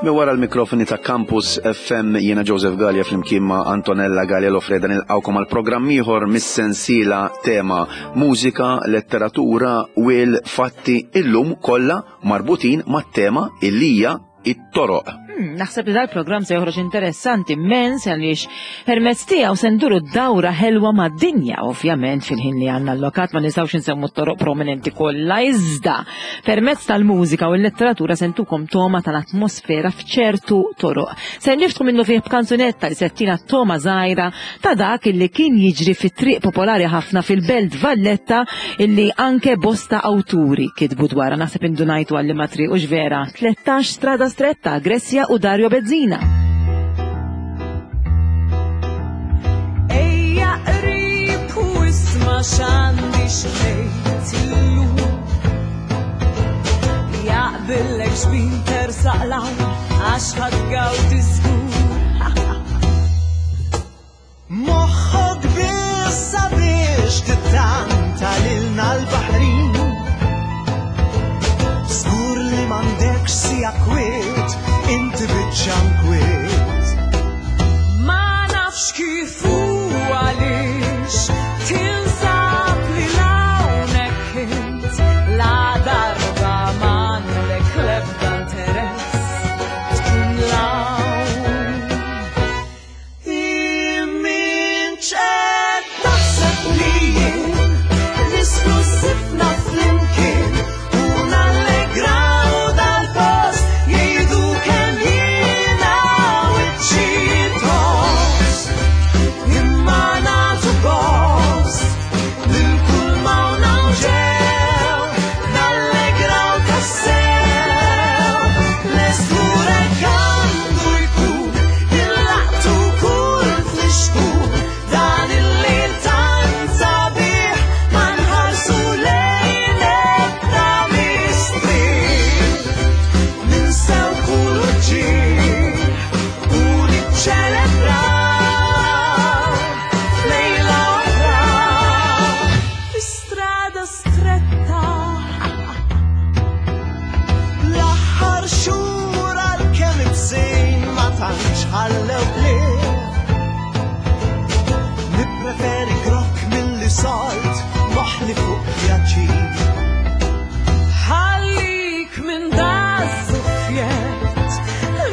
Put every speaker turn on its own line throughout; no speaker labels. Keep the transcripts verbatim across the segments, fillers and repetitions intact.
Mi wara l-mikrofoni ta' Campus F M jiena Joseph Galea flimkien ma' Antonella Galea Lofreda nilqgħukom għal programm ieħor mis-sensiela tema mużika, letteratura u l-fatti illum kollha marbutin mat-tema illija it-toroq.
Hmm, naħseb li dal-programm se joħroġ interessanti immens għaliex permezz tiegħu se nduru dawra ħelwa mad-dinja, ovvjament fil-ħin li għandna allokat ma nistgħux insemmu t-toroq prominenti kollha, iżda permezz tal-mużika u l-letteratura se ntukom toma tal-atmosfera f'ċertu toroq. Se niftħu minnu fih b'kanzunetta li settina toma żgħira ta' dak illi kien jiġri fit-triq popolari ħafna fil-Belt Valletta illi anke bosta awturi kitbu dwarha. Naħseb indunajtu għalli ma triq hux vera. Tlettax strada stretta, Grecia u Dario Bezzina.
Ejja qrib u isma' x'għandi x'tgħid illum. Jaqbillek xbin tersaq l-hawn għax ħadgawdi żgur.
Moħħok biss sabiex tittanta lilna l-baħrin. Żgur li m'għandekx sija kwiet, inti biċċa nkwiet.
Ma nafx kif u għaliex tinsab li hawnhekk int, la darba m'għandek l-ebda interess tkun l-hawn.
Imminċ qed taħseb li jien nislu sifna flimkien u nallegraw dal-post jgħidu kemm jiena wiċċi tost. Imma nagħtu gost lil kull ma ġew nallegraw tassew. L-eżgurek għandu jkun il-laqtu kull flixkun dan il-lejl tant sabiħ ma nħarsu lejn ebda mistrieħ. Ninsew kull uġigħ u niċċelebraw lejla oħra
fi strada stretta.
L-aħħar xhur għalkemm ibsejn ma tantx ħallew qliq. Nippreferi grokk milli salt moħli fuq pjaċir.
Ħallik minn daż-żufjett,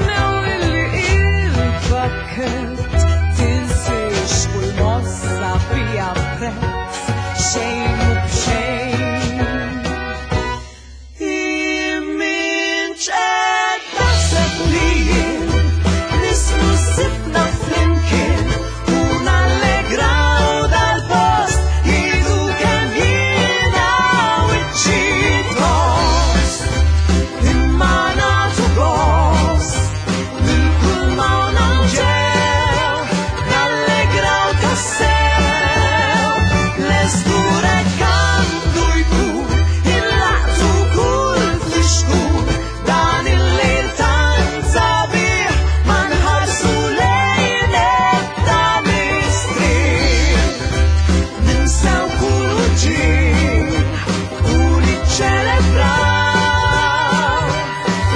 newwilli il-pakkett, tinsiex kull mossa bija prezz, xejn mhu b'xejn.
Imminċ qed taħseb li jien nislu sifna flimkien u nallegraw dal-post jgħidu kemm jiena wiċċi tost. Imma nagħtu gost lil kull ma ġew nallegraw tassew. L-eżgurek għandu jkun il-laqtu kull flixkun dan il-lejl tant sabiħ ma nħarsu lejn ebda mistrieħ. Ninsew kull uġigħ u niċċelebraw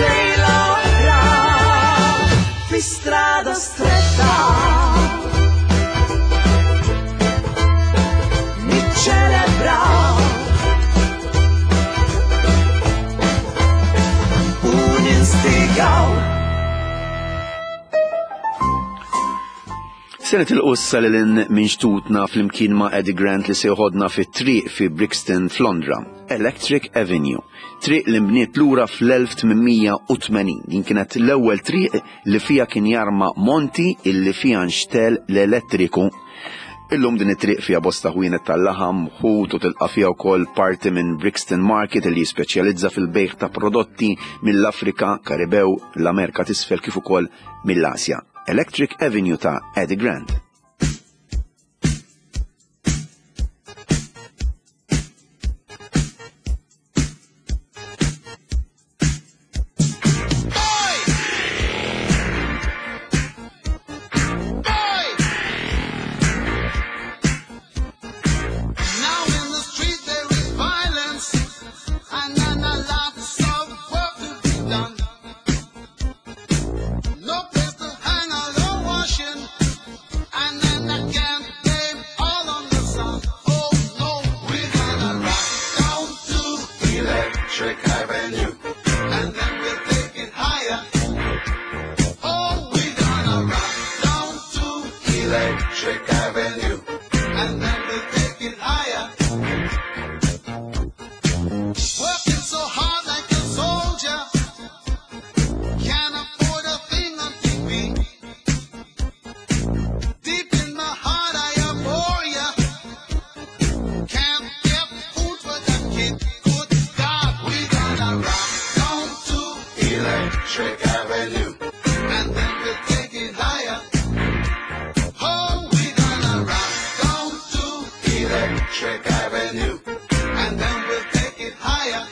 lejla oħra fi strada stretta. Niċċelebraw u ninstigaw.
Se nitilqu issa lil hinn minn xtutna flimkien ma' Eddie Grant li se joħodna fit-triq fi Brixton f'Londra, Electric Avenue, triq li nbniet lura fl-elf tmien u tmenin. Din kienet l-ewwel triq li fija kien jarma monti illi fija nxtel l-elettriku. Illum din it-triq fija bosta ħwienet tal-laħam, ħut u tilqa' fija wkoll parti minn Brixton Market li jispeċjalizza fil-bejħ ta' prodotti mill-Afrika, Karibew, l-Amerika t'isfel kif ukoll mill-Asja. Electric Avenue ta' Eddie Grant.
Done.
Electric Avenue, and then we'll take it higher. Oh, we gonna rock down to Electric Avenue, and then we'll take it higher. Working so hard like a soldier, can't afford a thing on T V. Deep in my heart I abhor ya. Can't get food for the kid. Good God, we gonna rock down to Electric Avenue, and then we'll take it higher. Oh, we gonna rock down to Electric Avenue, and then we'll take it higher.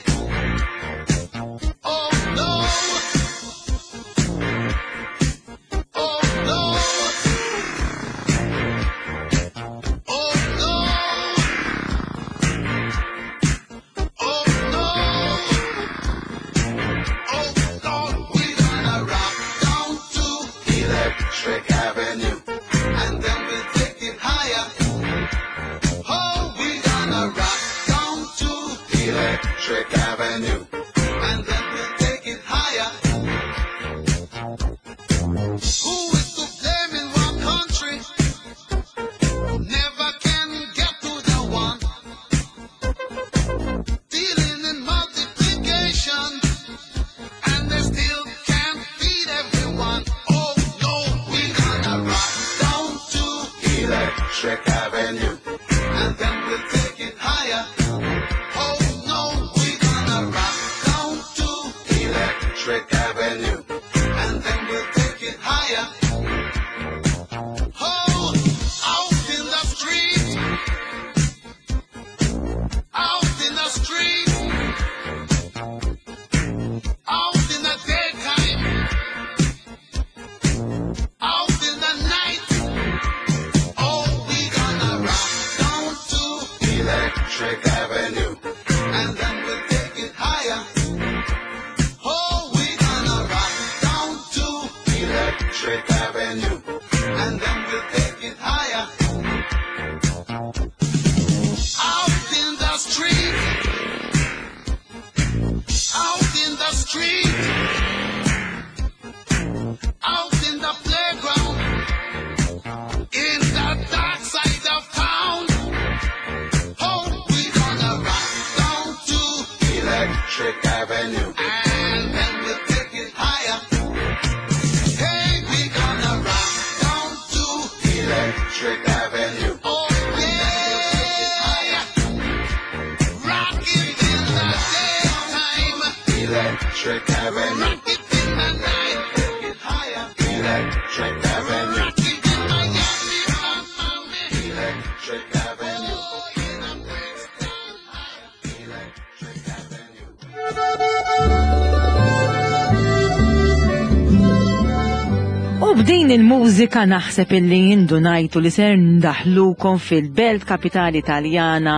Oh no! Oh no! Oh no! Oh no! Oh Lord, we gonna rock down to Electric Avenue, and then we'll take it higher. Oh, we gonna rock down to Electric Avenue, and then we'll take it higher. Who is to blame in one country? Never can get to the one. Dealing in multiplication, and they still can't feed everyone. Oh no, we gonna rock down to Electric Avenue, and then we'll take it higher. Oh no, we gonna rock down to Electric Avenue, and then we'll take it higher. Oh, out in the street, out in the street, out in the daytime, out in the night. Oh, we gonna rock down to Electric Avenue, and then we'll take it higher. Oh, we gonna rock down to Electric Avenue, and then we'll take it higher. Out in the street, out in the street, out in the playground, in the dark side of town. Oh, we gonna rock down to Electric Avenue, and then we'll take it higher. Hey, we gonna rock down to Electric Avenue. Oh yeah, rock it in the daytime, Electric Avenue. Rock it in the night, take it higher. Electric Avenue. Rock it in Miami, Miami. Electric Avenue. Oh, in the Brixton. Electric Avenue.
U b'din il-mużika naħseb illi indunajtu li ser ndaħlukom fil-belt kapitali Taljana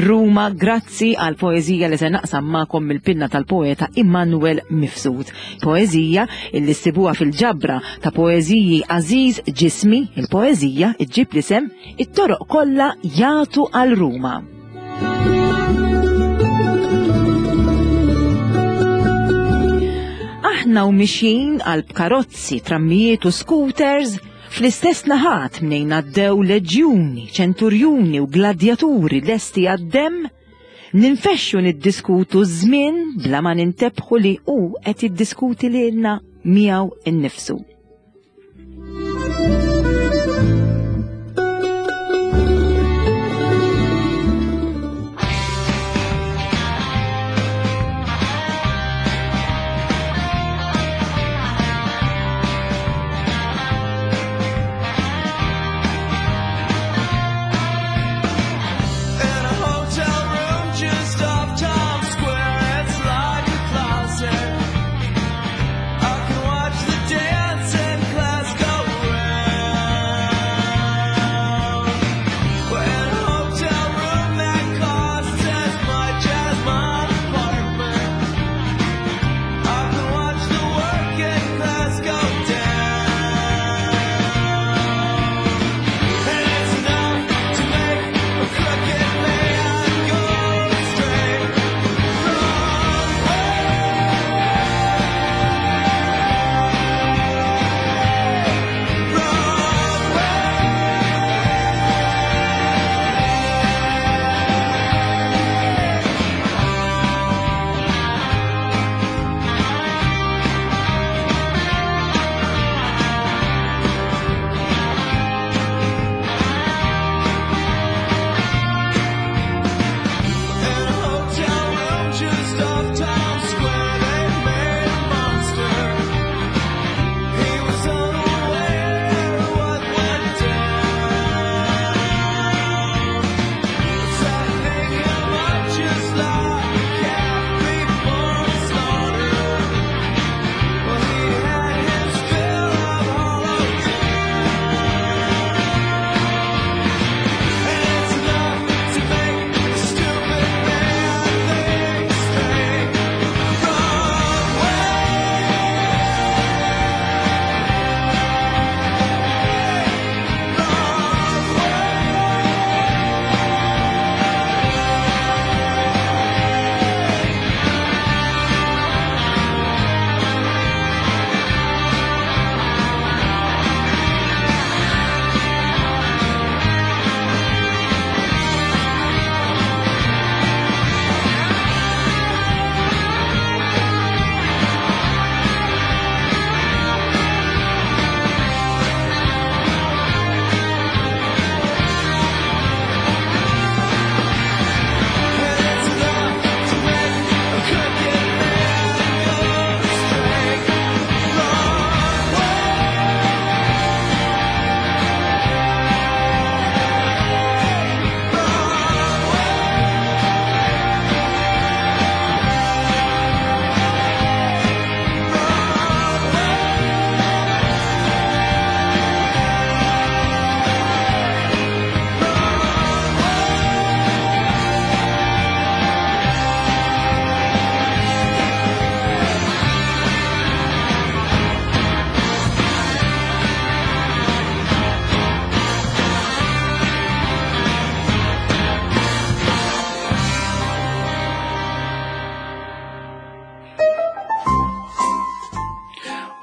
Ruma grazzi għal poeżija li ser naqsam magħkom mill-pinna tal-poeta Immanuel Mifsud. Poeżija illi ssibuha fil-ġabra ta' poeżiji Aziz Ġismi, il-poeżija iġġib l-isem It-toroq kollha jagħtu għal Ruma. Aħna u mixjin għal karozzi, trammijiet u scooters fl-istess naħat mnejn għaddew leġjuni, ċenturjuni u gladjaturi lesti għad-demm, ninfexxu niddiskutu żmien bla ma nintebħu li hu qed jiddiskuti lilna miegħu innifsu.
In a hotel room just off Times Square, it's like a closet. I can watch the dancers.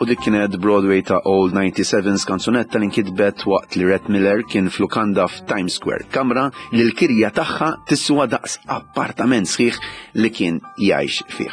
U dik kienet Broadway ta' Old ninety-sevens, kanzunetta li nkitbet waqt li Rhett Miller kien f'lukanda f'Times Square, kamra li l-kirja tagħha tiswa daqs appartament sħiħ li kien jgħix fih.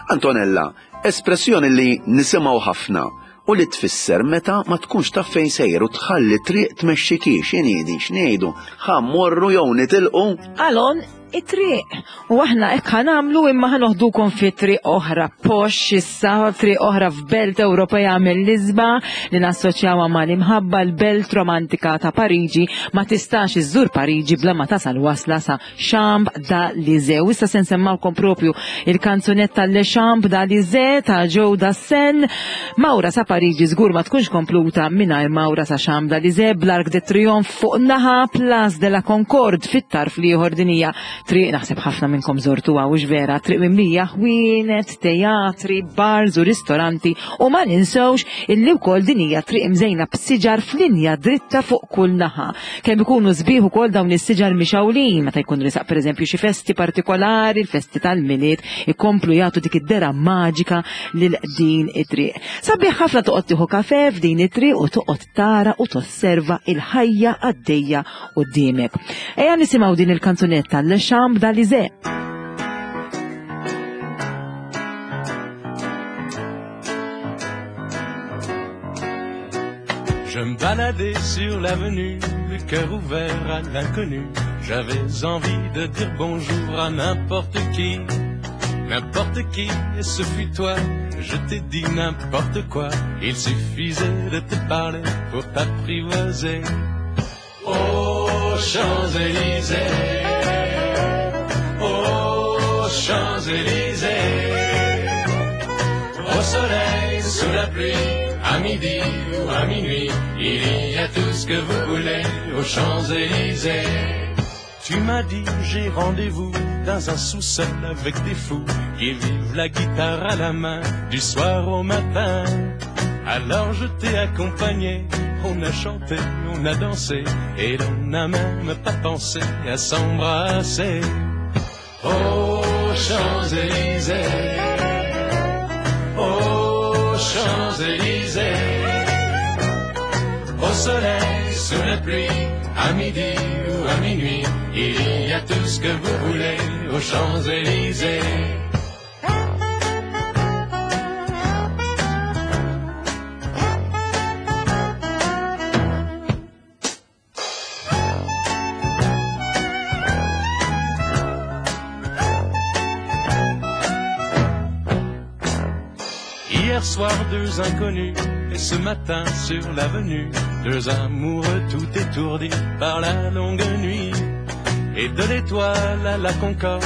Antonella, espressjoni li nisimgħu ħafna u li tfisser meta ma tkunx taf fejn sejjer u tħalli triq tmexxiki, x'inhi din, x'ngħidu, ħa mmorru jew nitilqu?
Għalon, it-triq. U aħna hekk ħa nagħmlu, imma ħa noħdukom fi triq oħra posh issa, triq oħra f'belt Ewropea mill-isbaħ li nassoċjawha mal-imħabba, l-belt romantika ta' Pariġi. Ma tistax iżżur Pariġi bla ma tasal wasla sa Champs-Élysées. U issa se nsemmawkom propju il-kanzunetta Le Champs-Élysées ta' Joe Dassin. Mawra sa Pariġi żgur ma tkunx kompluta mingħajr mawra sa Champs-Élysées, bl-Arc de Triomphe fuq naħa, Place de la Concorde fit-tarf l-ieħor. Din hija triq naħseb ħafna minnkom żortuha, u vera, triq mimlija ħwienet, teatri, bars u ristoranti, u ma ninsewx illi wkoll din hija triq imżejna b'siġar f'linja dritta fuq kull naħa. Kemm ikunu sbieħ ukoll dawn is-siġar mixawlin meta jkun risaq pereżempju xi festi partikolari, il-festi tal-Milied, ikomplu jagħtu dik id-dera maġika lil din it-triq. Sabiħ ħafna toqgħod tieħu kafe f'din it-triq u toqgħod tara u tosserva il-ħajja għaddejja quddiemek. Ejja nisimgħu din il-kanzunetta Le Champs-Élysées.
Je me baladais sur l'avenue, le cœur ouvert à l'inconnu. J'avais envie de dire bonjour à n'importe qui, n'importe qui, et ce fut toi. Je t'ai dit n'importe quoi, il suffisait de te parler pour t'apprivoiser. Aux Champs-Élysées, aux Champs-Élysées, au soleil, sous la pluie, à midi ou à minuit, il y a tout ce que vous voulez aux Champs-Élysées. Tu m'as dit j'ai rendez-vous dans un sous-sol avec des fous qui vivent la guitare à la main du soir au matin. Alors je t'ai accompagné, on a chanté, on a dansé, et l'on n'a même pas pensé à s'embrasser. Aux Champs-Élysées, aux Champs-Élysées, au soleil, sous la pluie, à midi ou à minuit, il y a tout ce que vous voulez aux Champs-Élysées. Hier soir, deux inconnus, et ce matin sur l'avenue, deux amoureux tout étourdis par la longue nuit. Et de l'étoile à la Concorde,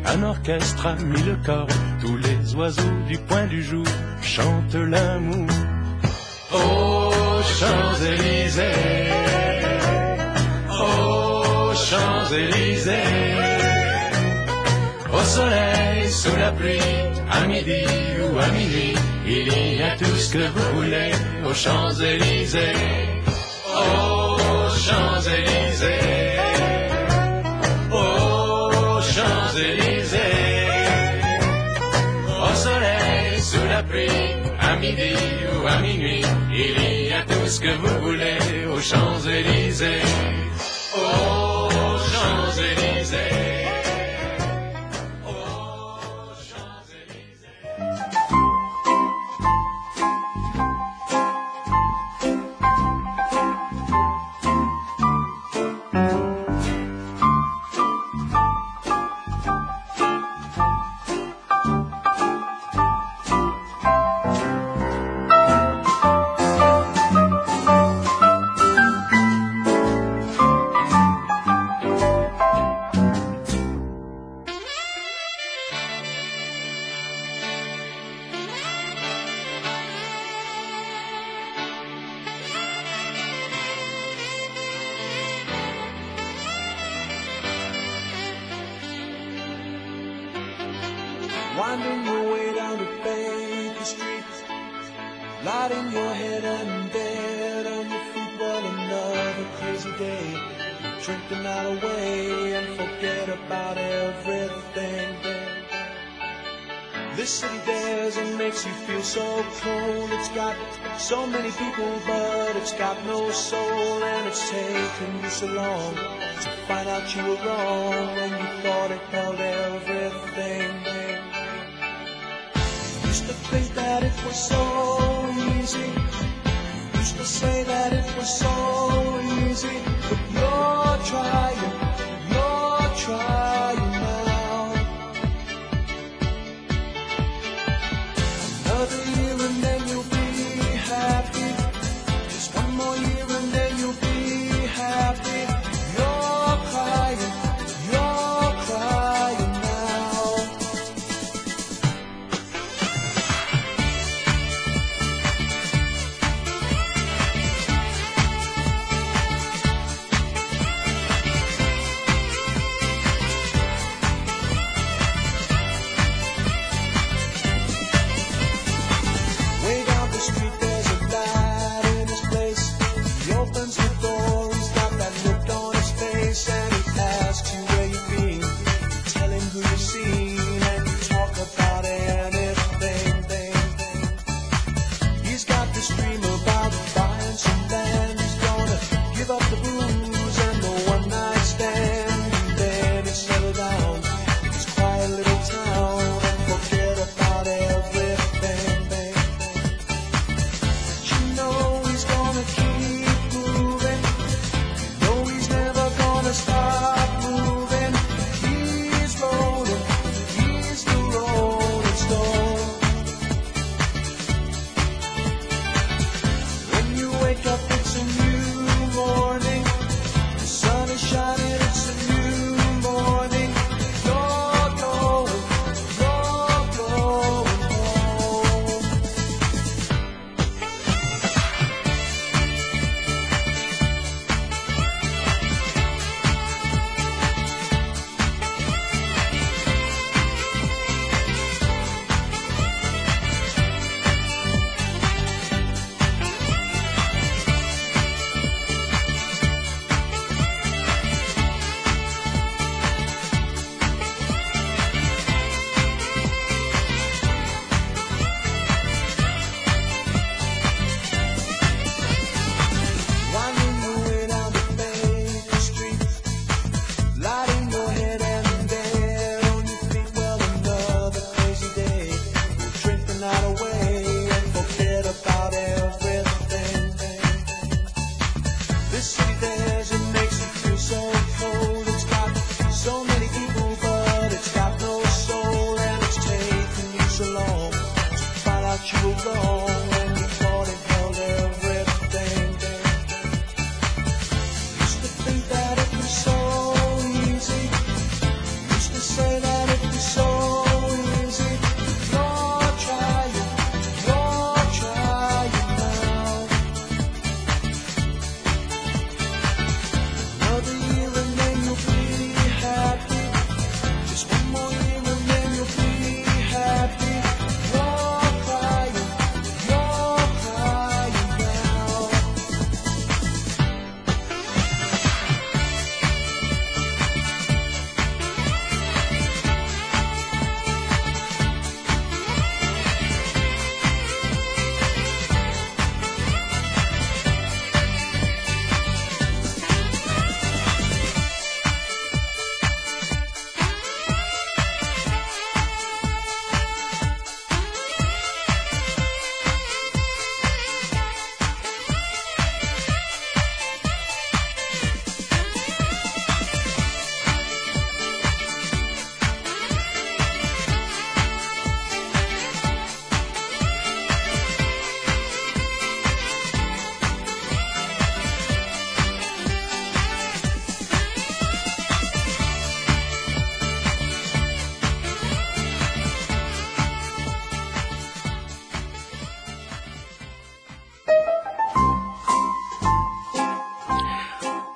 un orchestre a mis le corps, tous les oiseaux du point du jour chantent l'amour. Aux Champs-Élysées, aux Champs-Élysées, au soleil, sous la pluie, à midi ou à minuit, il y a tout ce que vous voulez aux Champs-Élysées. Aux Champs-Élysées, aux Champs-Élysées, au soleil, sous la pluie, à midi ou à minuit, il y a tout ce que vous voulez aux Champs-Élysées. Aux Champs-Élysées.
Winding your way down to Baker Street, lighting your head and bed on your feet. Well, another crazy day. You drink the night away and forget about everything. This city dares and makes you feel so cold. It's got so many people, but it's got no soul. And it's taken you so long to find out you were wrong when you thought it held everything. You used to think that it was so easy. You used to say that it was so easy. But you're trying, you're trying now. Another year and then you'll be happy. Just one more year and then you'll be happy. You're crying, you're crying now. Way down the street there's a lad in his place. He opens the door, he's got that look on his face, and he asks you where you've been. You tell him who you've seen, and you talk about anything. He's got this dream about buying some land. He's gonna give up the booze and the one night stand. And then he'll settle down in his quiet little town and forget about everything. But you know he's gonna keep moving. You know he's never gonna stop moving. He's rolling, he's the rolling stone. When you wake up, it's a new morning. The sun is shining, it's a new morning. You're going, you're going home. Winding your way down to Baker Street, lighting your head and there on your feet. Well, another crazy day. We'll drink the night away and forget about everything. This city dares and makes you feel so cold. It's got so many people, but it's got no soul. And it's taken you so long to find out you were wrong when you thought it held everything. Used to think that it was so easy. Used to say that it was so easy. You're trying, you're trying now. Another year and then you'll be happy. Just one more year and then you'll be happy. You're crying, you're crying now.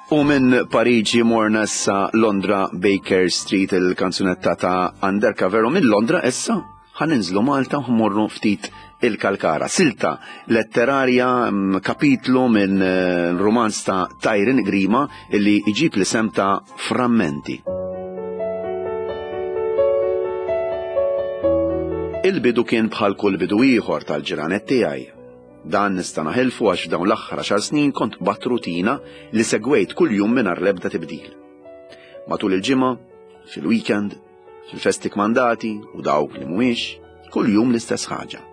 U minn Pariġi morna issa Londra Baker Street, il-kanzunetta ta' Undercover, u minn Londra issa ħaninżlu Malta u mmorru ftit il-Kalkara. Silta letterarja, mm, kapitlu minn eh, romanz ta' Tyron Grima illi iġib l-isem ta' Frammenti. Il-bidu kien bħal kull bidu ieħor tal-ġranet tiegħi. Dan nista' naħilfu għax f'dawn l-aħħar għaxar snin kont qbadt rutina li segwejt kuljum mingħajr l-ebda tibdil. Matul il-ġimgħa, fil-weekend, fil-festi kmandati u dawk li mhuwiex, kuljum l-istess ħaġa.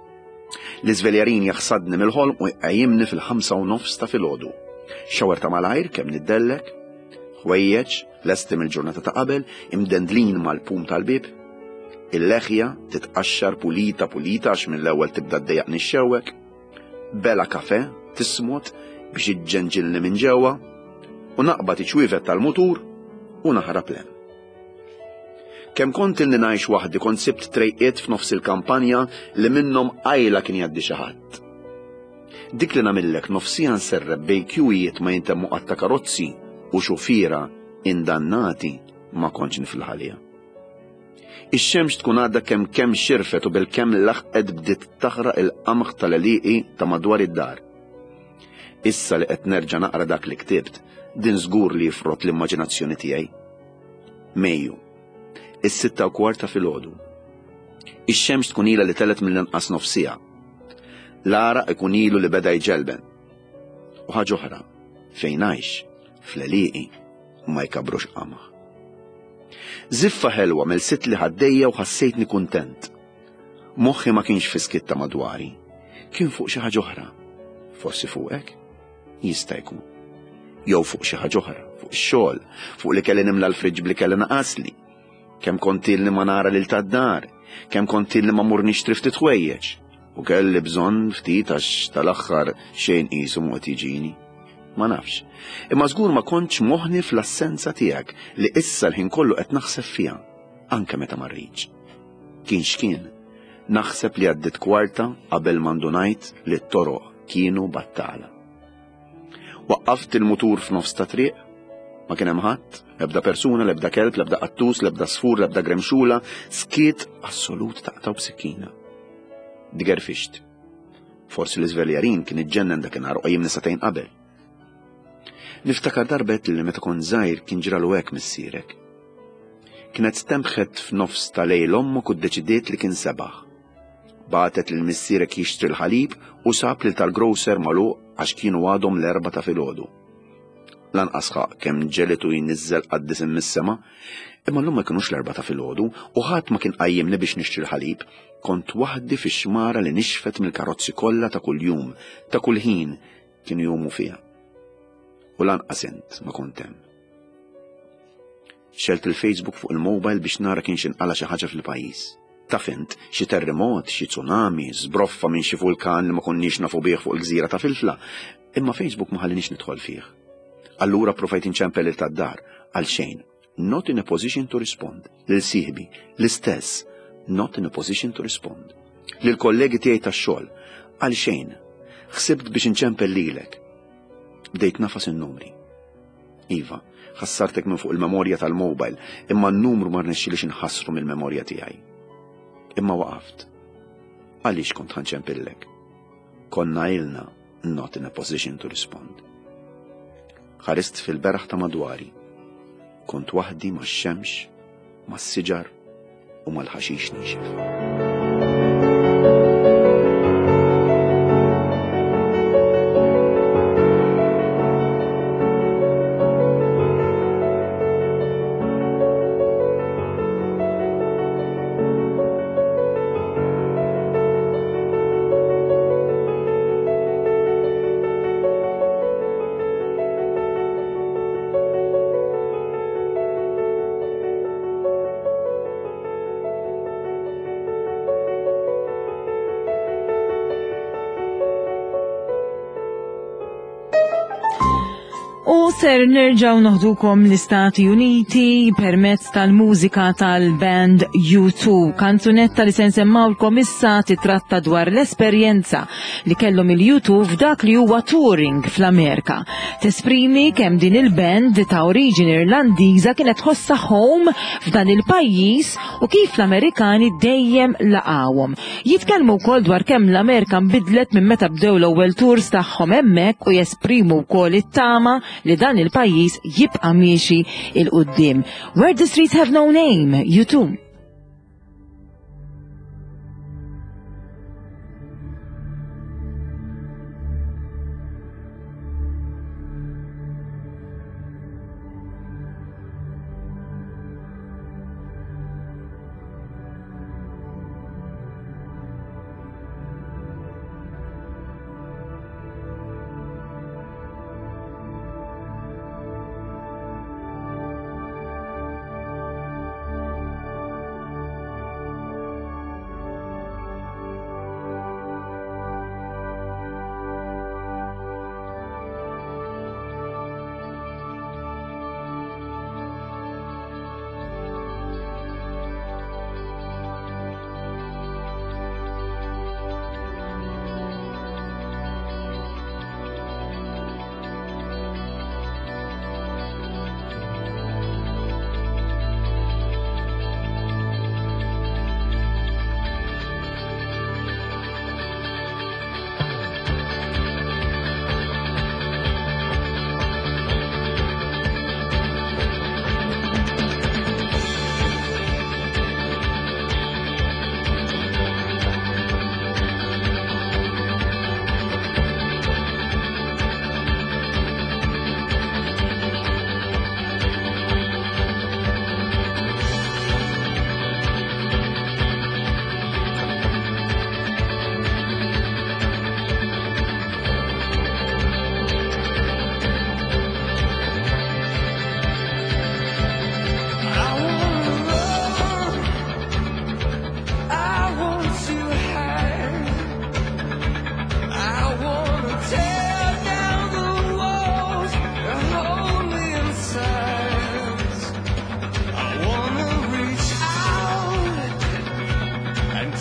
L-iżveljarin jaħsadni mill-ħolm u jqajjimni fil-ħamsa u nofs ta' filgħodu. Shower ta' malajr kemm niddellek, ħwejjeġ lesti mill-ġurnata ta' qabel, imdendlin mal-pum tal-bib, il-leħja titqaxxar pulita pulita għax mill-ewwel tibda ddejjaqni x-xewek, bela kafe tismot biex iġġenġilni minn ġewwa u naqbad iċ-ċwievet tal-mutur u naħrab 'l hemm. Kemm kont ilni ngħix waħdi kont sibt trejqiet f'nofs il-kampanja li minnhom qajla kien jgħaddi xi ħadd. Dik li nagħmillek nofsija nserreb bejn kjuwijiet ma jintemmu qatt ta' karozzi u xufiera indannati ma kontx niflaħ għaliha. Ix-xemx tkun għadha kemm kemm xirfet u bil-kemm laħqet bdiet taħraq il-qamħ tal-għelieqi ta' madwar id-dar. Issa li qed nerġa' naqra dak li ktibt, din żgur li jifrot l-immaġinazzjoni tiegħi. Mejju, is-sitta u kwart ta' filgħodu. Ix-xemx tkun ilha li telgħet mill-inqas nofsija. L-għaraq ikun ilu li beda jġelben. U ħaġa oħra, fejn ngħix, fl-għelieqi ma jkabrux qamħ. Ziffa ħelwa melsitli ħaddejja u ħassejtni kuntent. Moħħi ma kienx fis-skiet ta' madwari, kien fuq xi ħaġa oħra. Forsi fuqek? Jista' jkun. Jew fuq xi ħaġa oħra, fuq ix-xogħol, fuq li kelli nimla l-friġġ bli kelli naqasli. Kemm kont ilni ma nara lil tad-dar, kemm kont ilni ma mur nixtri ftit ħwejjeġ. U kelli bżonn ftit għax tal-aħħar xejn qisu mhu qed jiġini. Ma nafx. Imma żgur ma kontx moħni fl-assenza tiegħek li issa l-ħin kollu qed naħseb fiha, anke meta ma rridx. Kien x'kien, naħseb li għaddit kwarta qabel ma ndunajt li t-toroq kienu battala. Waqqaft il-mutur f'nofs ta' triq, ma kien hemm ħadd, l-ebda persuna, l-ebda kelb, l-ebda qattus, l-ebda sfur, l-ebda gremxula, skiet assolut taqtaw b'sikkina. Digerfixt. Forsi l-iżveljarin kien iġġennen dakinhar u qajjimni sagħtejn qabel. Niftakar darbet li meta kont żgħir kien ġralu hekk missierek. Kienet stembħet f'nofs ta' lejl ommok u ddeċidiet li kien sebaħ. Bagħtet lil missierek jixtri l-ħalib u sab lil tal-grocer magħluq għax kienu għadhom l-erbgħa ta' filgħodu. Lanqas ħaq kemm ġelitu jniżżel qaddisin mis-sema, imma llum ma kinux l-erbgħa ta' filgħodu u ħadd ma kien qajjimni biex nixtri l-ħalib, kont waħdi fix-xmara li nixfet mill-karozzi kollha ta' kuljum, ta' kull ħin kienu jumu fiha. U lanqas int ma kont hemm. Xgħelt il-Facebook fuq il-mobile biex nara kienx inqala xi ħaġa fil-pajjiż. Taf int, xi terremot, xi tsunami, żbroffa minn xi vulkan li ma konniex nafu bih fuq il-gżira ta' Filfla, imma Facebook ma ħallinix nidħol fih. Allura provajt inċempel lil tad-dar għal xejn. Not in a position to respond. Lil sieħbi, l-istess. Not in a position to respond. Lil kollegi tiegħi tax-xogħol, għal xejn. Ħsibt biex inċempel lilek. Bdejt nagħfas in-numri. Iva, ħassartek minn fuq il-memorja tal-mobile, imma n-numru ma rnexxilix inħassru mill-memorja tiegħi. Imma waqaft. Għaliex kont ħa nċempillek? Konna ilna not in a position to respond. Ħarist fil-beraħ ta' madwari. Kont waħdi max-xemx, mas-siġar u mal-ħaxix niexef.
U ser nerġaw noħdukom l-Istati Uniti permezz tal-mużika tal-band U two. Kanzunetta li se nsemmawlkom issa titratta dwar l-esperjenza li kellhom il-U two f'dak li huwa touring fl-Amerika. Tesprimi kemm din il-band ta' oriġini Irlandiża kienet tħossha home f'dan il-pajjiż u kif l-Amerikani dejjem laqawhom. Jitkellmu wkoll dwar kemm l-Amerika nbidlet minn meta bdew l-ewwel tours tagħhom hemmhekk u jesprimu wkoll it-tama li dan il-pajjiż jibqa' miexi 'l quddiem. Where the Streets Have No Name, U two.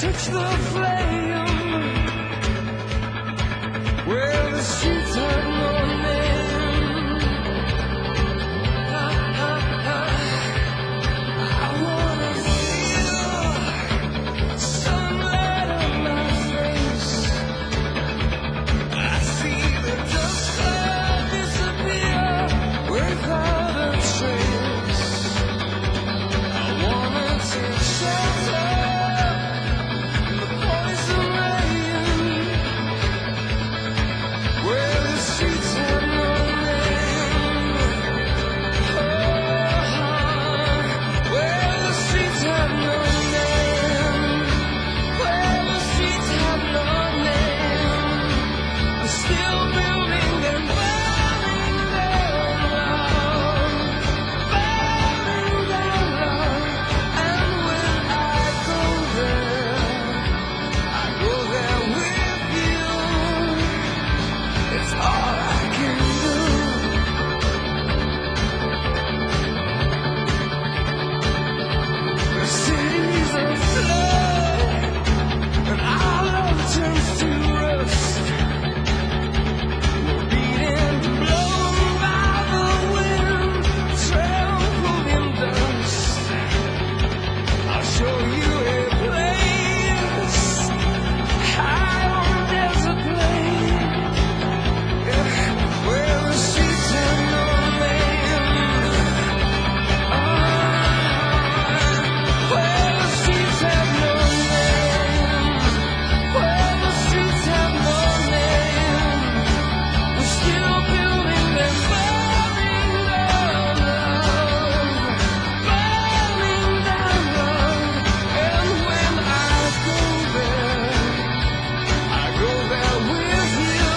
Touch the flame where the streets have no name. I, I, I, I wanna feel sunlight on my face. I see the dust cloud disappear without a trace. I wanna take shelter in the poison rain, where the streets have no name. Oh, where the streets have no name. Where the streets have no name. I'm still building and burning down love, burning down love. And when I go there, I go there with you. It's all I can do. The city's afloat, and our love turns to rust. We're beaten, blown by the wind, trampled in dust. I'll show you a place high on a desert plain, where the streets have no name. Ah, where the streets have no name. Where the streets have no name. We're still building and burning down love, burning down love. And when I go there, I go there with you.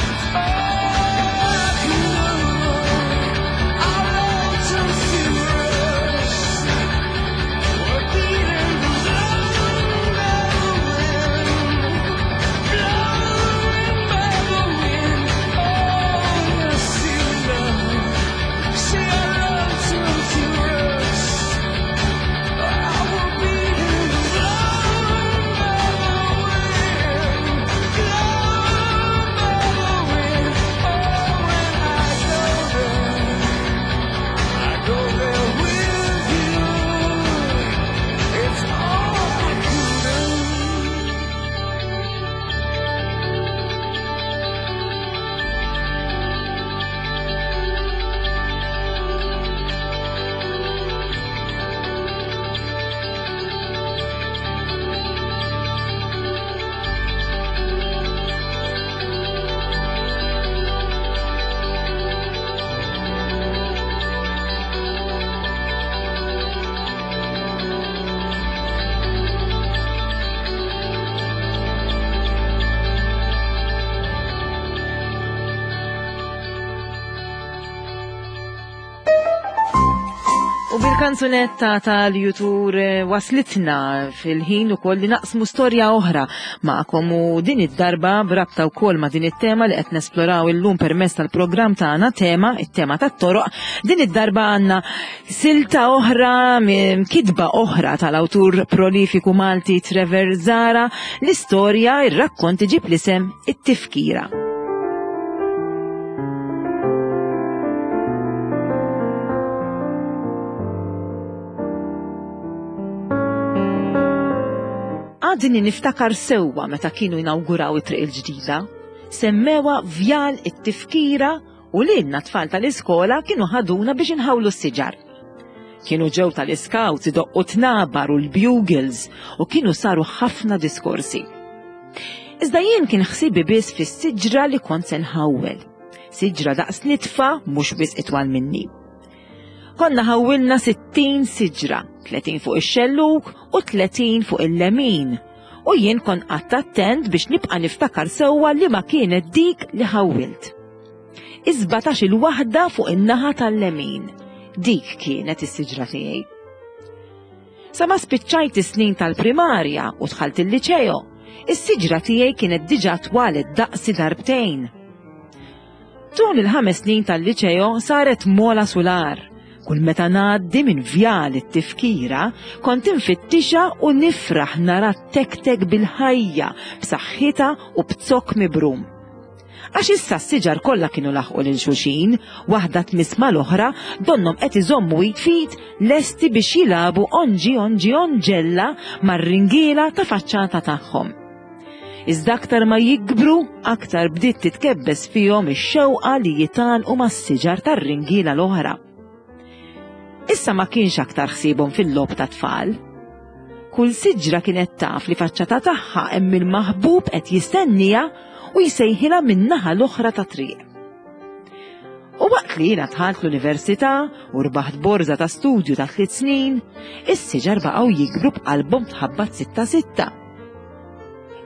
It's all I can do. Our love turns to rust. We're beaten, blown by the wind, blown by the wind. Oh, see love, see our love turns to rust. I will be blown by the wind, blown by the wind. Oh, when I go there, I go there with you. It's all I can do.
U bil-kanzunetta tal-jutur eh, waslitna fil-ħin u koll li naqsmu storja oħra ma'kom u din id-darba brabta wkoll ma' din it-tema li qed nesploraw illum permezz tal-programm tagħna tema, it-tema tat-toroq. Din id-darba għandna silta oħra, m- kitba oħra tal-awtur prolifiku Malti Trevor Zahra, l-istorja ir-rakkont iġib l-isem It-Tifkira. Għadni niftakar sewwa meta kienu inawguraw it-triq il-ġdida. Semmewa Vjal it-Tifkira u lilna tfal tal-iskola kienu ħaduna biex inħawlu s-siġar. Kienu ġew tal-iskawts idoqqu tnabar u l-bugles u kienu saru ħafna diskorsi. Iżda jien kien ħsibi biss fis-siġra li kont se nħawwel. Siġra daqs nitfa mhux biss itwal minni. Konna ħawwilna sittin siġra, tletin fuq ix-xellug u tletin fuq il-lemin. U jien kon qatt attent biex nibqa' niftakar sewwa li ma kienet dik li ħawwilt. Iżbatax il-waħda fuq in-naħa tal-lemin. Dik kienet is-siġra tiegħi. Sa ma spiċċajt is-snin tal-primarja u dħalt il-liċeo, is-siġra tiegħi kienet diġà twalet daqsi darbtejn. Tul il-ħames snin tal-liċeo saret mola sular, Kull meta ngħaddi minn Vjal it-Tifkira, kont infittixha u nifraħ nara tektek bil-ħajja, b'saħħitha u b'zokk mibrum. Għax issa s-siġar kollha kienu laħqu lil xulxin, waħda tmiss mal-oħra, donnhom qed iżommu id f'id lesti biex jilagħbu onġi onġi onġella mar-ringiela ta' faċċata tagħhom. Iżda aktar ma jikbru, aktar bdiet titkebbes fihom ix-xewqa li jitgħannqu mas-siġar tar-ringiela l-oħra. Issa ma kienx aktar ħsiebhom fil-logħob ta' tfal. Kull siġra kienet taf li faċċata tagħha hemm il-maħbub qed jistenniha u jsejħilha min-naħa l-oħra ta' triq. U waqt li jiena dħalt l-università u rbaħt borża ta' studju ta' tliet snin, is-siġar baqgħu jikbru b'qalbhom tħabbat sitta sitta.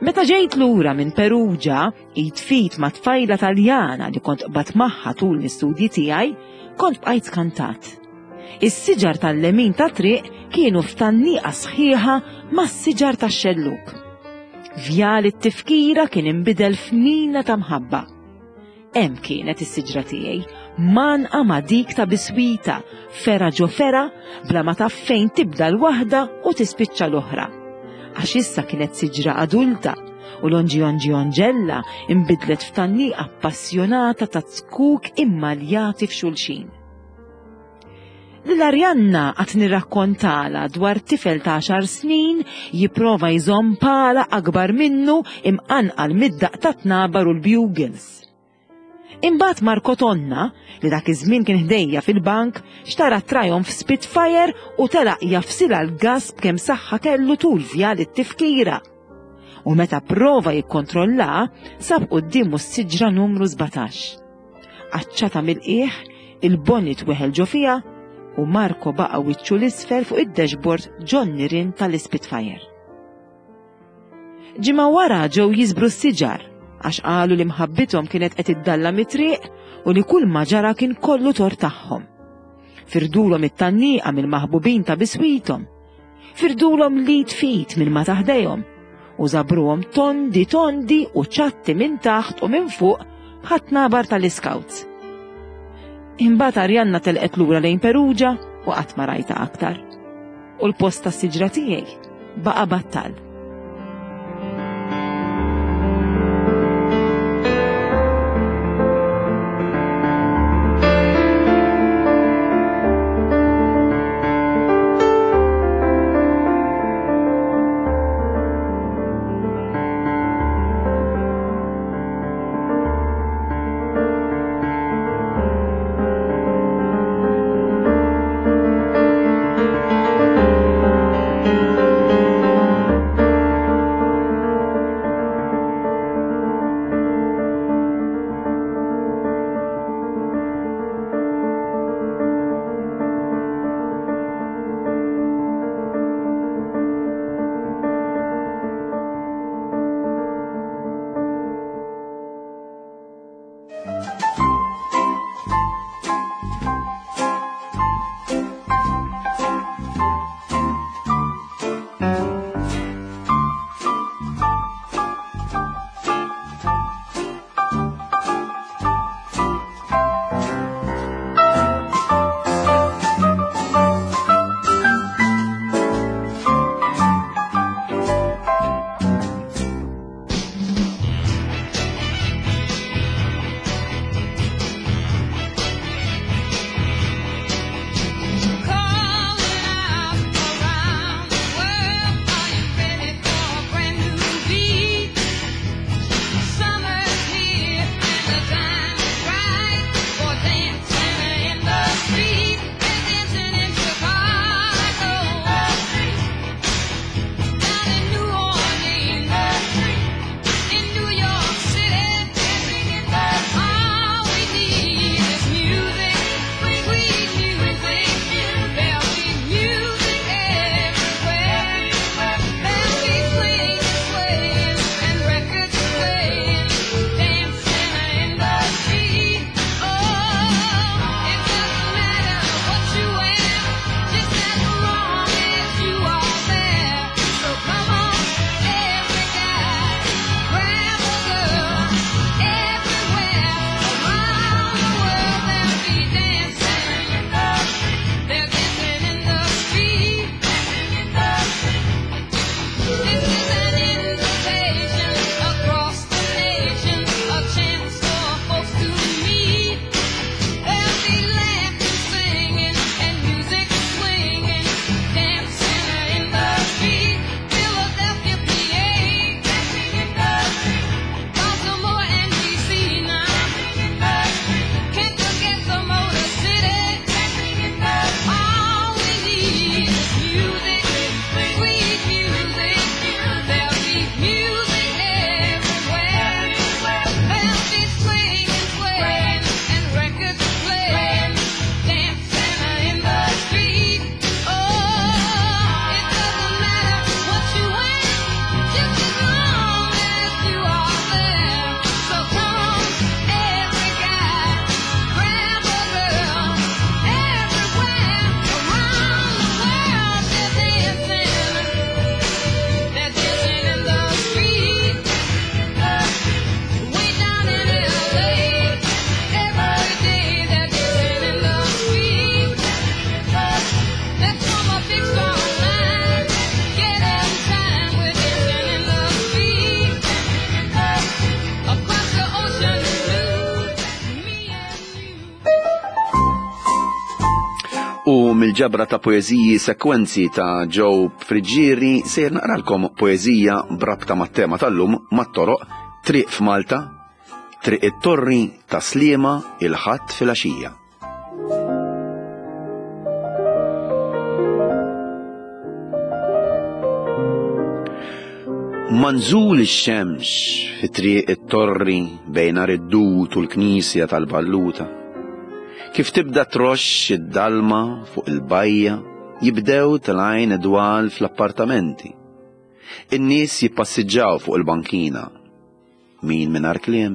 Meta ġejt lura minn Perugia, id f'id ma' tfajla Taljana li kont qbadt magħha tul l-istudji tiegħi, kont bqajt skantat. Is-siġar tal-lemin ta' triq kienu f'tgħanniqa sħiħa mas-siġar tax-xellug. Vjal it-Tifkira kien inbidel f'mina ta' mħabba. Hemm kienet is-siġra tiegħi, mgħannqa ma' dik ta' biswita, fergħa ġo fergħa, bla ma taf fejn tibda l-waħda u tispiċċa l-oħra. Għax issa kienet siġra adulta u l-onġi onġi onġella imbidlet f'tgħanniqa appassjonata ta' zkuk immaljati f'xulxin. Lil Arianna qatt nirrakkontala dwar tifel ta' għaxar snin jipprova jżomm pala akbar minnu imqanqal mid-daqq ta' tnabar u l-bugles. Imbagħad Marco Tonna, li dak iż-żmien kien ħdejja fil-bank, xtara Triumph Spitfire u telaq jagħfsilha l-gas b'kemm saħħa kellu tul Vjal it-Tifkira. U meta prova jikkontrolla, sab quddiemu s-siġra numru sbatax. Qaċċata mill-qiegħ, il-bonnet weħel ġo fiha u Marco baqa' wiċċu l-isfel fuq id-dashboard ġon-nirien tal-Spitfire. Ġimgħa wara ġew jiżbru s-siġar għax qalu li mħabbithom kienet qed iddalla mit-triq u li kull ma ġara kien kollu tort tagħhom. Firdulhom it-tgħanniqa mill-maħbubin ta' biswithom. Firdulhom l-id f'id minn ma ta' ħdejhom u żabruhom tondi tondi u ċatti minn taħt u minn fuq bħat-tnabar tal-iskawts. Imbagħad Arianna telqet lura lejn Perugia u qatt ma rajta aktar. U l-post tas-siġra tiegħi baqa' battal.
Mill-ġabra ta' poeżiji Sekwenzi ta' Joe Friggieri sejjer naqralkom poeżija b'rabta mat-tema tal-lum, mat-toroq, Triq f'Malta, Triq it-Torri ta' Sliema il-Ħadd filgħaxija. Manżul ix-xemx fi Triq it-Torri bejn Għar id-Dud u l-Knisja tal-Balluta. Kif tibda troxx id-dalma fuq il-bajja, jibdew telgħin idwal fl-appartamenti. In-nies jippassiġġaw fuq il-bankina. Min mingħajr kliem,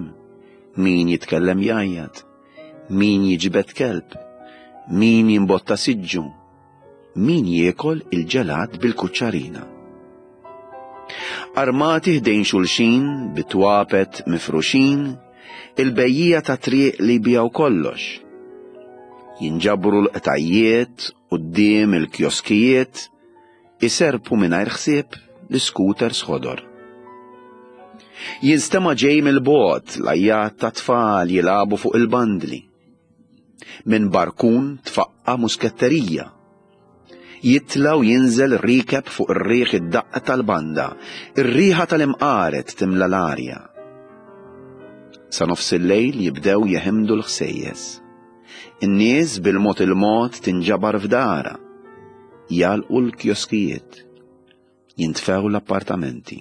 min jitkellem jgħajjat, min jiġbed kelb, min jimbotta siġġu, min jiekol il-ġelat bil-kuċċarina. Armati ħdejn xulxin, bitwapet mifruxin, il-bejjija ta' triq li bijaw kollox. Jinġabru l-qtajjiet quddiem il-kjoskijiet, iserpu mingħajr ħsieb l-scooters ħodor. Jinstema' ġej mill-bogħod l-għajjat ta' tfal jilagħbu fuq il-bandli. Minn barkun tfaqqa musketterija. Jitla u jinżel rikeb fuq ir-riħ id-daqqa tal-banda, ir-riħa tal-imqaret timla l-arja. Sa nofs il-lejl jibdew jeħimdu l-ħsejjes. In-nies bil-mod il-mod tinġabar f'dara, jagħlqu l-kjoskijiet, jintfew l-appartamenti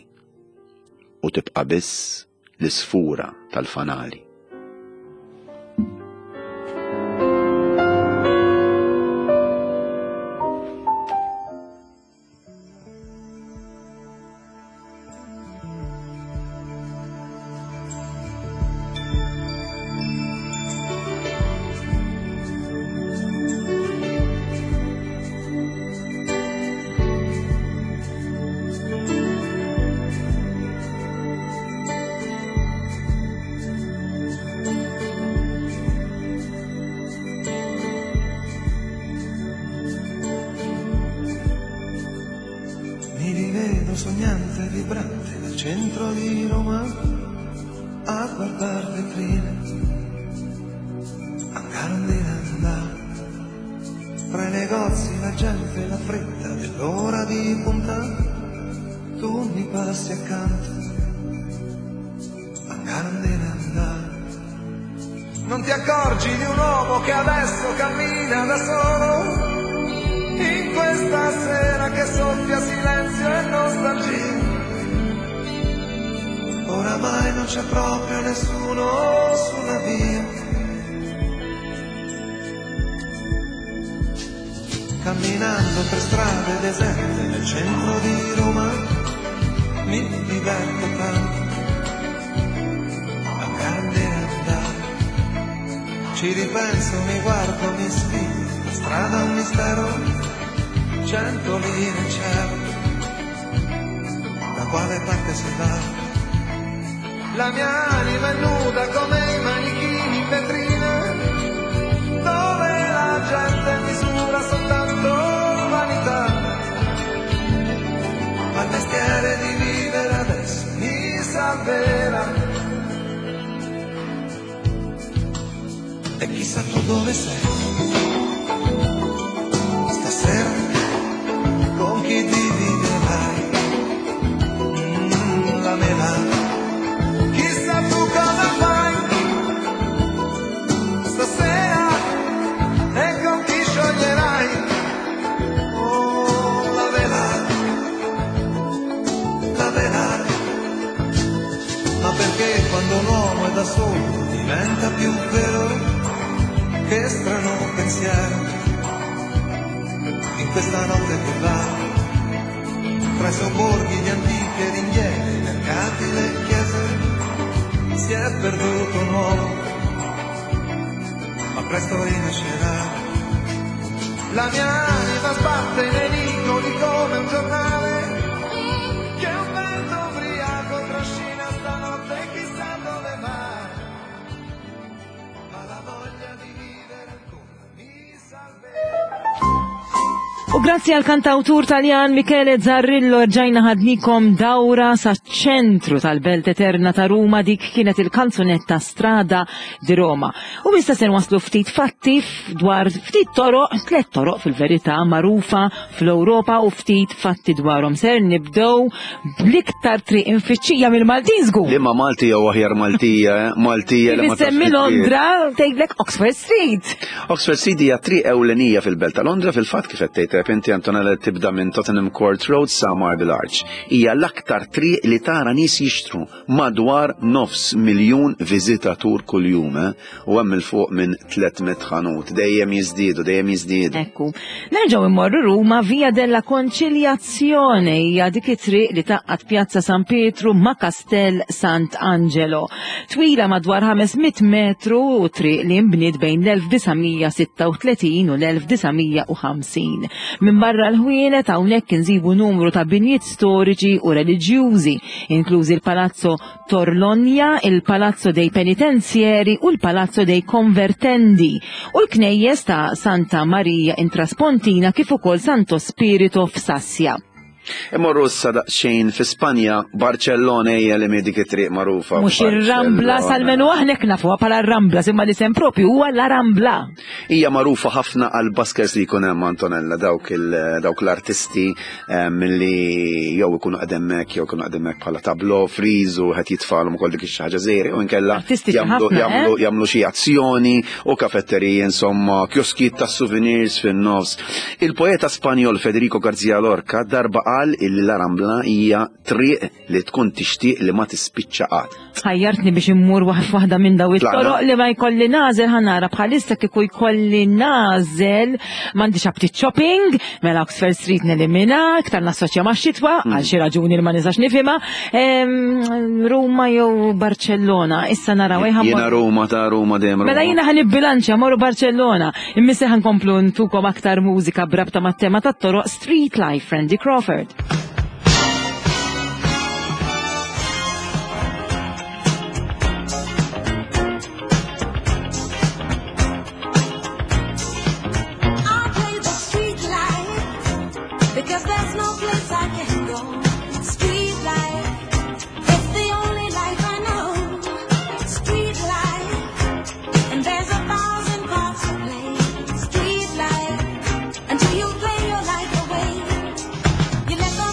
u tibqa' biss l-isfura tal-fanali.
Mi rivedo sognante e vibrante nel centro di Roma a guardar vetrine, andare tra i negozi, la gente, la fretta dell'ora di punta, tu mi passi accanto, andare. Non ti accorgi di un uomo che adesso cammina da solo in questa sera che soffia silenzio e nostalgia. Oramai non c'è proprio nessuno sulla via. Camminando per strade deserte nel centro di Roma mi diverto tanto a grande andare. Ci ripenso, mi guardo, mi sfido, la strada è un mistero, cento lire in cielo, da quale parte si va? La mia anima è nuda come i manichini in vetrina, dove la gente misura soltanto vanità. Ma il mestiere di vivere adesso mi salverà. E chissà tu dove sei stasera, con chi dividerai mm, la mela. Chissà tu cosa fai stasera e con chi scioglierai oh, la vela, la vela. Ma perché quando un uomo è da solo diventa più vero? Che strano pensiero in questa notte che va tra i sobborghi di antiche ringhiere, i mercati, le chiese, si è perduto un uomo, ma presto rinascerà. La mia anima sbatte nei vicoli come un giornale che un vento ubriaco trascina stanotte chissà dove va. Ma la voglia di vivere ancora mi salverà.
U U grazzi għal kantawtur Taljan Michele Zarrillo rġajna ħadnikom dawra sa ċentru tal-Belt Eterna ta' Ruma, dik kienet il-kanzunetta Strada di Roma. U issa se waslu ftit fatti dwar ftit toroq, tliet toroq fil-verità magħrufa fl-Ewropa u ftit fatti dwarhom. Ser nibdew bl-iktar triq infittxija mill-Maltin żgur.
Liema Malti jew aħjar Maltija, eh? Maltija
li ma semmi Londra tgħidlek Oxford Street.
Oxford Street hija triq ewlenija fil-Belt ta' Londra, fil-fatt kif qed tgħid inti Antonella tibda minn Tottenham Court Road sa Marble Arch. Hija l-aktar triq li tara nies jixtru, madwar nofs miljun viżitatur kuljum, eh? U hemm il fuq minn tliet mitt ħanut, dejjem jiżdiedu, dejjem jiżdiedu.
Ekku. Nerġgħu immorru Ruma, Via della Conciliazione hija dik it-triq li tgħaqqad Pjazza San Pietru ma' Castel Sant'Angelo. Twila madwar ħames mitt metru u triq li nbniet bejn l-elf disa' mija sitta u tletin u l-elf disa' mija u ħamsin. Minn barra l-ħwienet hawnhekk insibu numru ta' binjiet storiċi u reliġjużi, inklużi il-Palazzo Torlonia, il-Palazzo dei Penitenzieri u l-Palazzo dei Convertendi u l-knejjes ta' Santa Maria in Traspontina kif ukoll Santo Spirito f'Sassia.
Immorru issa daqsxejn fi Spanja, Barcellona hija li dik it-triq magħrufa.
Mhux ir-Rambla, almenu aħna nafuha bħala r-Rambla, imma l-isem propju huwa la Rambla.
Hija magħrufa ħafna għal buskers li jkun hemm, Antonella, dawk il- dawk l-artisti em, li jew ikunu qegħdin jew ikunu qegħdin bħala tableau, frieze u qed jitfalhom ukoll dik ix-xi ħaġa żgħira u inkella
Artistiċi
jagħmlu
ħafna,
jagħmlu
eh?
jagħmlu xi azzjoni u kafetteriji, insomma, kioskijiet ta' souvenirs fin-nofs. Il-poeta Spanjol Federico García Lorca darba qal illi la Rambla hija triq li tkun tixtieq li ma tispiċċa qatt.
Ħajjartni biex immur waħ- waħda minn daw
Tlaqna.
it-toroq li ma jkolli nagħżel, ħa nara bħalissa kieku jkolli nagħżel m'għandix aptit shopping, mela Oxford Street nelimina, iktar nassoċja ma' xitwa, għal xi raġuni li ma nistax nifhimha. Em, Ruma jew Barcellona, issa naraw ejja
Jiena Ruma ta' Ruma dejjem Ruma.
Mela jiena ħa nibbilanċja, morru Barcellona. Imma issa ħa nkomplu ntukom aktar mużika brabta mat-tema tat-toroq, Street Life, Randy Crawford.
I play the street life because there's no place I can go. Street life, it's the only life I know. Street life, and there's a thousand parts to play. Street life, until you play your life away. You let the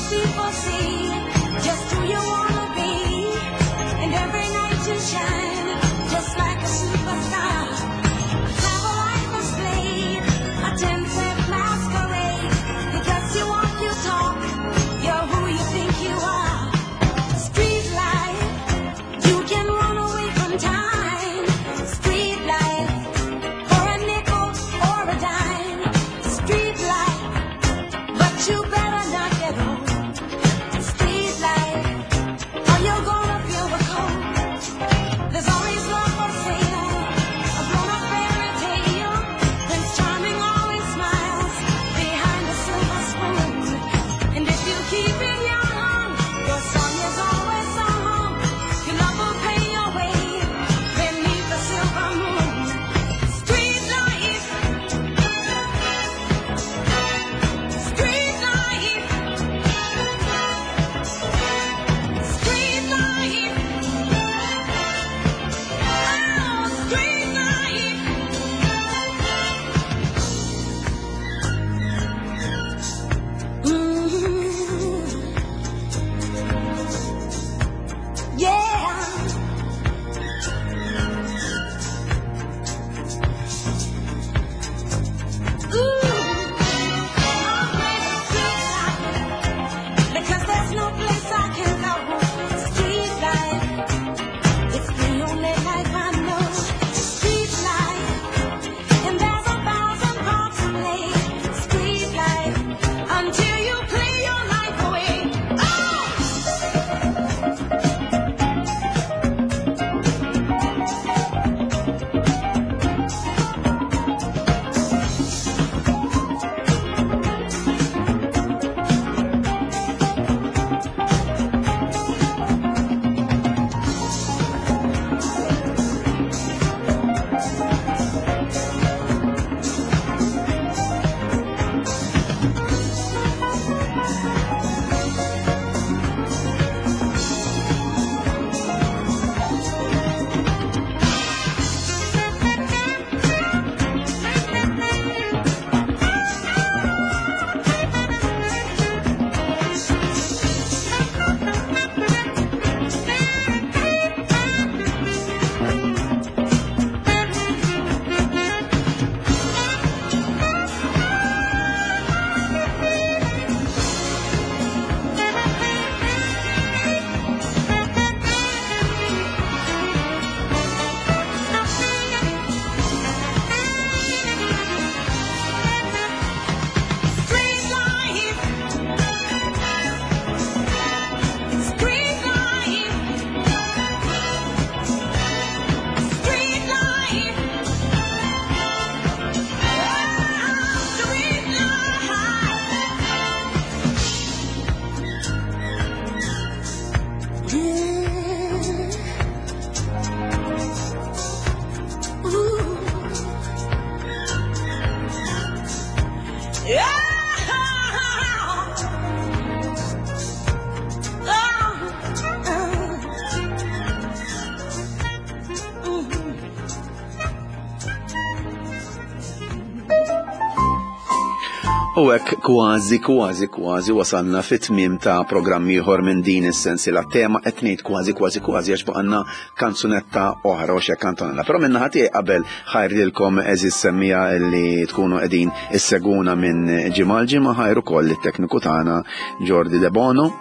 U hekk kważi, kważi, kważi wasalna fit-tmiem ta' programm ieħor minn din is-sensiela tema. Qed ngħid kważi, kważi, kważi għax baqgħalna kanzunetta oħra u xi kantonella. Però minn naħa tiegħi qabel ħajr lilkom, għeżież semmiegħa li tkunu qegħdin issegwuna minn ġimgħa l ġimgħa, ħajr ukoll it-tekniku tagħna Jordi De Bono.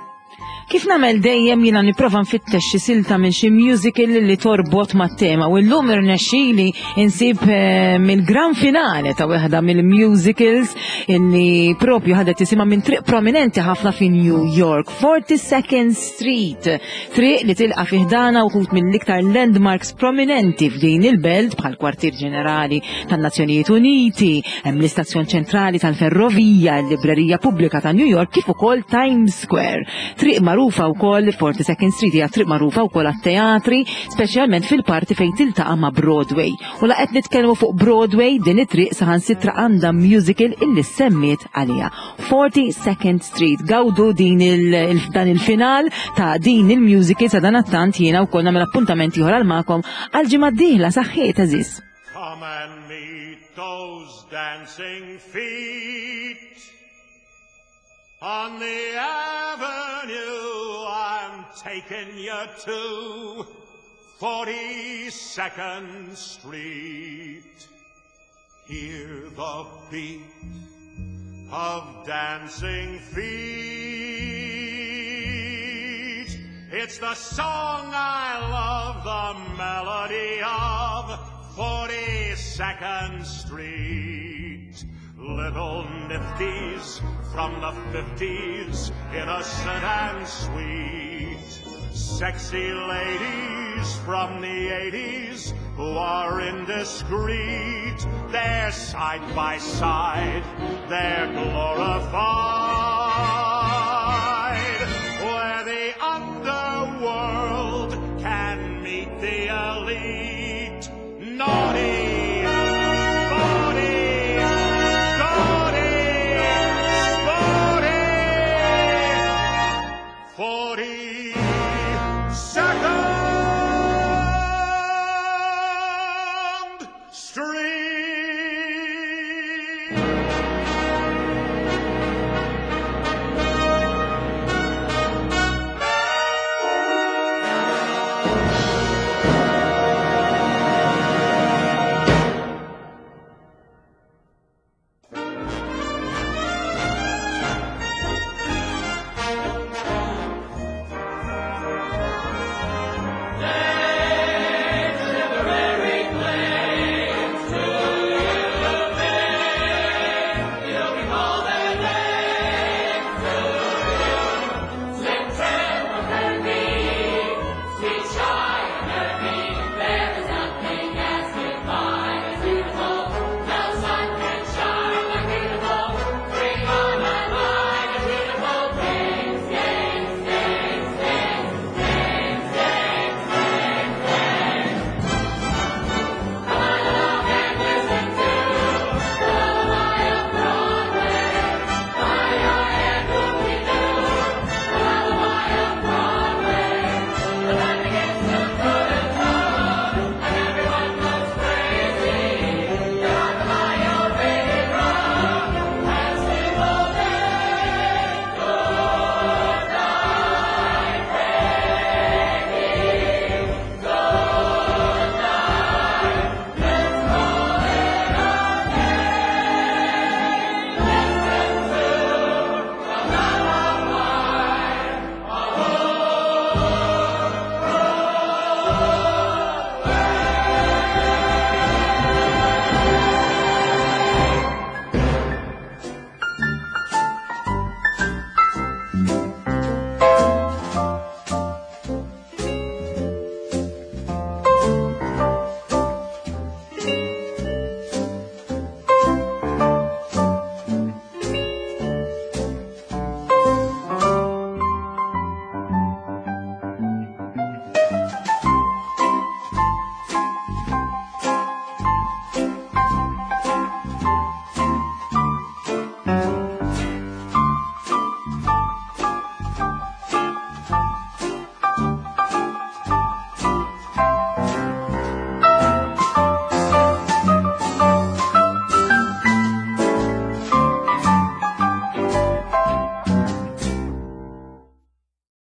Kif nagħmel dejjem, jiena nipprova nfittex xi silta minn xi musical li torbot mat-tema u llum irnexxieli insib eh, mill-gran finale ta' waħda mill-musicals illi propju ħadet isimha minn triq prominenti ħafna fi New York, forty-second Street. Triq li tilqa' fi ħdanha wħud mill-iktar landmarks prominenti f'din il-belt, bħal kwartier ġenerali tan-Nazzjonijiet Uniti, hemm l-istazzjon ċentrali tal-ferrovija, l-Librerija Pubblika ta' New York, kif ukoll Times Square. Triq magħrufa wkoll, forty-second Street hija triq magħrufa wkoll għat-teatri, speċjalment fil-parti fejn tiltaqa' ma' Broadway. U la qed nitkellmu fuq Broadway, din it-triq saħansitra għandha musical illi semmiet għaliha. forty-second Street. Gawdu din il, il, dan il-final ta' din il-musical. Sadanittant jiena wkoll nagħmel appuntament ieħor għal magħkom għal ġimgħa d-dieħla. Saħħiet, għeżież.
Come and meet those dancing feet on the avenue. I'm taking you to forty-second Street. Hear the beat of dancing feet. It's the song I love, the melody of forty-second Street. Little nifties from the fifties, innocent and sweet. Sexy ladies from the eighties who are indiscreet. They're side by side, they're glorified.